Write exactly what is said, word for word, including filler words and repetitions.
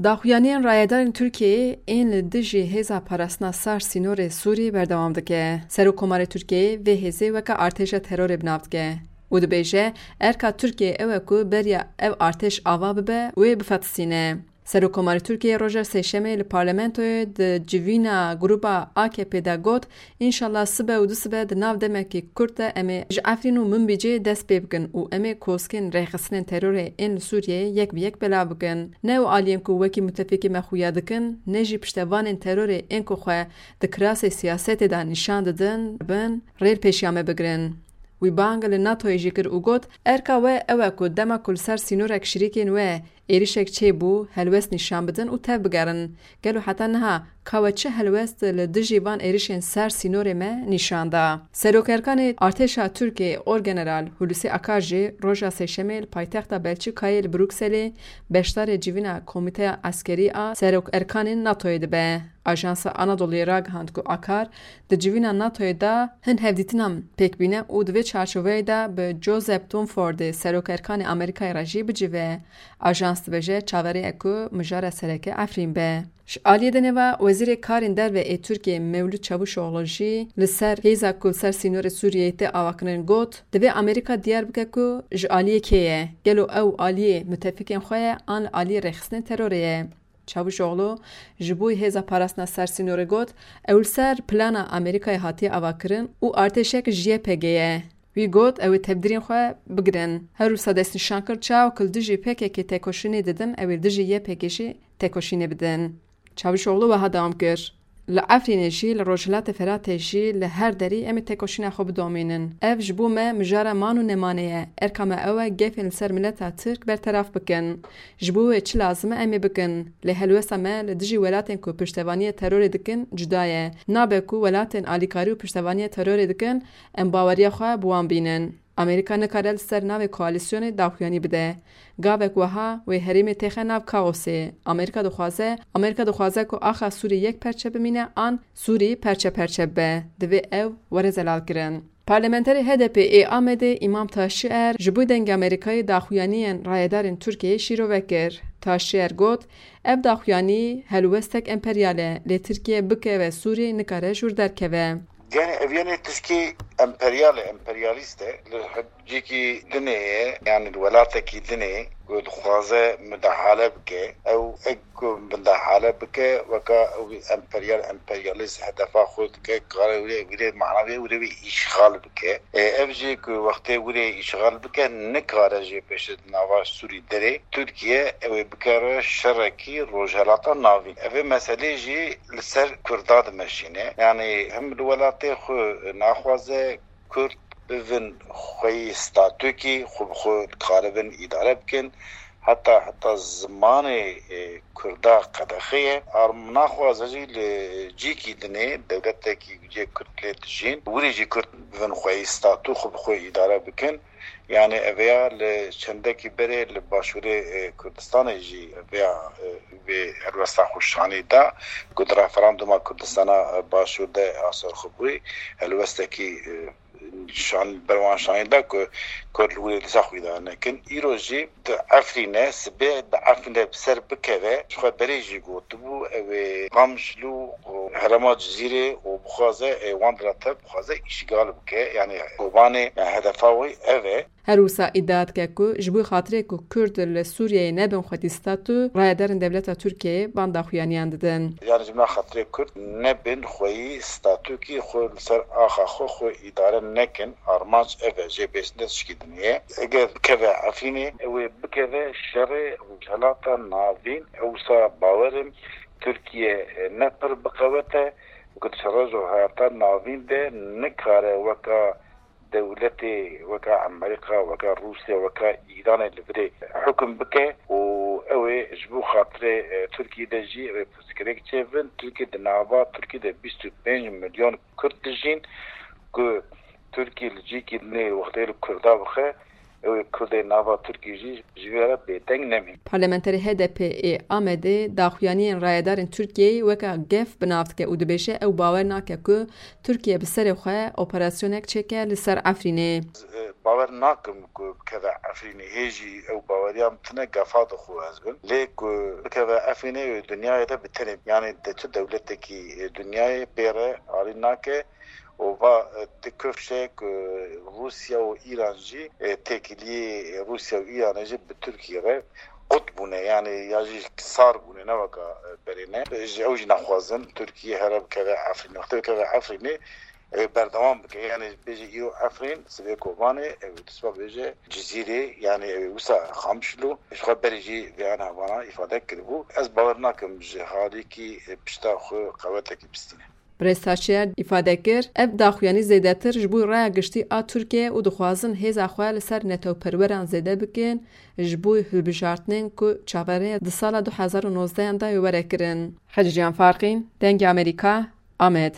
Daxuyaniyên rayedarên Tirkiyeyê ên li dijî Hêza Parastina Sar Sînorê Sûrî berdewam dike. Serokkomarê Tirkiyeyê vê hêzê weke artêşa terorê bi nav dike û dibêje, erka Tirkiyeyê ew e ku beriya ev artêş ava bibe û ê bifetisîne. Serokkomarê Tirkiyeyê roja Sêşemê li parlamentoyê di civîna grûba A K P de got, Înşallah sibe û dusibe di nav demekî kurt de em ê ji Efrîn û Minbicê dest pê bikin û em ê koskên rêxistinên terorê ên li Sûriyeyê yek bi yek belav bikin. Ne ew aliyên ku wekî mutefîkê me xuya dikin, ne jî piştevanên terorê ên ku xwe di kirasê siyasetê de nîşan didin, bin rê li pêşiya me bigirin. Wî bang li NATOyê jî kir û got, Erka we ew e ku dema ku li ser sînorek şirîkên we êrişek çêbû, helwest nîşan bidin û tev bigerin. Gelo heta niha ka we çi helwest li dijî van êrişên ser sînorê me nîşan da? Serokerkanê Artêşa Tirkiyê Orgeneral Hulusi Akar jî roja Sêşemê li paytexta Belçîkayê li Brukselê beşdarê civîna Komîteya Eskerî a Serokerkanên NATOyê dibe. Ajansa Anadolu'yê ragihand ku Akar di civîna NATOyê de hin hevdîtinan pêk bîne û di vê çarçoveyê de bi Joseph Dunfordê Serokerkanê Amerîkayê re jî bicive. Ajans dibêje çaverê ye ku mijara sereke Efrîn be. Ji aliyê dinê ve Wezîrê Karên Derve ê Tirkiyê Mewlût Çavuşoğlu jî li ser hêza ku li ser sînorê Sûriyeyê tê avakirin got, Divê Amerîka diyar bike ku ji aliyê kê ye. Gelo ew aliyê mutefîkên xwe ye an li aliyê rêxistinên terorê ye? Çavuşoğlu ji bo hêza parastina ser sînorê got, Ew li ser plana Amerîkayê hatiye avakirin û artêşek ji Y P G ye. Wî got, Ew ê tevdirên xwe bigirin. Her wisa destnîşan kir, çawa ku li dijî P K K têkoşînê didin, ew ê li dijî Y P G jî têkoşînê bidin. Çavuşoğlu wiha dewam kir, Li Efrînê jî, li Rojhilatê Firatê jî, li her derî em ê têkoşîna xwe bidomînin. Ev ji bo me mijara man û nemanê ye. Erka me ew e gefên li ser mileta Tirk berteraf bikin. Ji bo wê çi lazim e em ê bikin. Lê helwesta me li dijî welatên ku piştevaniya terorê dikin cuda ye. Nabe ku welatên alîkarî û piştevaniya terorê dikin em baweriya xwe bi wan bînin. Amerîka nikare li ser navê koalîsyonê daxuyanî bide. Gavek wiha wê herêmê têxe nav kaosê. Amerîka dixwaze, Amerîka dixwaze ku axa Sûrî yek perçe bimîne an Sûrî perçe perçe bibe. Divê ew were zelalkirin. Parlamenterê H D P ê Amedê Îmam Taşçier ji bo Dengê Amerîkayê daxuyaniyên rayedarên Tirkiyeyê şîrove kir. Taşçier got, Ev daxuyanî helwestek emperyal e, lê Tirkiye bikeve Sûrî nikare ji wir derkeve. Yani ev yani tişkî emperyal e, emperyalîst e. Li cîkî dinê ye, yani li welatekî dinê ku dixwaze midahale bike. Ew ek ku midahale bike, weka ew emperyal, emperyalîst hedefa xwe dike, kare wê, wê mana wê, wê wê îşxal bike. E, ev jî ku wextê wê îşxal bike, nikare jê pêşe di nava Sûrî derê. Tirkiye ew ê bikare şerekî Rojhelata Navîn. Ev ê meselê jî li ser Kurda dimeşîne. Yani hem li welatê xwe naxwaze Kurd bivin xweyî statûkî, xwe bi xwe dikaribin îdare bikin. Heta heta zimanê, e, Kurda qedexe ye. Ar naxwaze jî li cîkî dinê, dewletekî cê Kurd lê dijîn, wirî jî Kurd bivin xweyî statû, xwe bi xwe îdare bikin. Yani eveya li çendekî berê li başûrê, e, Kurdistanê jî eveya, e, vê helwesta xwe şanî da ku di referanduma Kurdistana, e, Başûr de asar xwe bûyî helwestekî, e, şan, berwan şanî da ku Kurd li wê dîsa xwe îdare nekin. Îro jî di Efrîne, sibê di Efrîne bi ser bikeve, ji xwe berê jî gotibû, ew ê Qamşlû û herêma Cizîrê û bixwaze, ê wan dira tev bixwaze îşgal bike. Yani Kobanê, yani hedefa wê ev e. Her wisa îdia dike ku ji bo xatirê ku Kurd li Sûriyeyê nebin xwedî statû, rayedarên dewleta Tirkiyeyê bang daxuyaniyan didin. Yani ji bo xatirê Kurd nebin xweyî statûkî xwe li ser axa xwe, xwe îdare nekin, armanc ev e, jê bêsne tişkî din e. Eger bikeve Efrînê, ew ê bikeve şerê Rojhelata Navîn, ew wisa bawer im Tirkiye, e, ne pir biqewete, ku di şerê Rojhelata Navîn de nikare weka dewletê weka Amerîka, weka Rûsya, weka Îranê li virê hukum bike û ew ê ji bo xatirê, e, Tirkiyê de jî ew ê pirsgirêk çêbin. Tirkiye di nava Tirkiye de bîst û pênc milyon Kurd dijîn ku Tirkiye li cîkî dinê wextê li Kurda bixe, Ew ê Kurdê nava Tirkiyê jî ji vê re bêdeng nemîn. Parlamenterê H D P ê Amedê daxuyaniyên rayedarên Tirkiyeyê weke gef bi nav dike û dibêje ew bawer nake ku Tirkiye bi serê xwe operasyonek çêke li ser Efrînê. Bawer nakim ku bikeve Efrînê. Hê jî ew baweriya min tine, gefa dixwe ez bin. Lê ku bikeve Efrînê, wê dinyayê de bi tenê, yanî de çi dewletekî dinyayê pê re alî nake û va, e, ti kifşe ku Rûsya û Îran jî, e, têkiliyê Rûsya û Îranê jî bi Tirkiyê re qut bûne, yanî ya jî sar bûne, ne weka, e, berê ne. Ji ew jî naxwazin Tirkiye here bikeve Efrînê. Wextê bikeve Efrînê, ew ê berdewam bike. Yanî bêje îro Efrîn, sibê Kobanê, ew ê dusba bêje Cizîrê, yanî ew ê wisa Qamişlo. Ji xwe berê jî vê ana vana îfade kiribû. Ez bawer nakim ji halîkî, e, pişta xwe qewetekî bistîne. Birêz Taşçıyer îfade kir, ev daxuyanî zêdetir ji bo raya giştî a Tirkiyê û dixwazin hêza xwe li ser netewperweran zêde bikin, ji bo hilbijartinên ku çaverê di sala du hezar û nozdehan de were kirin. Hecîcan Farqîn, Dengê Amerîka, Amed.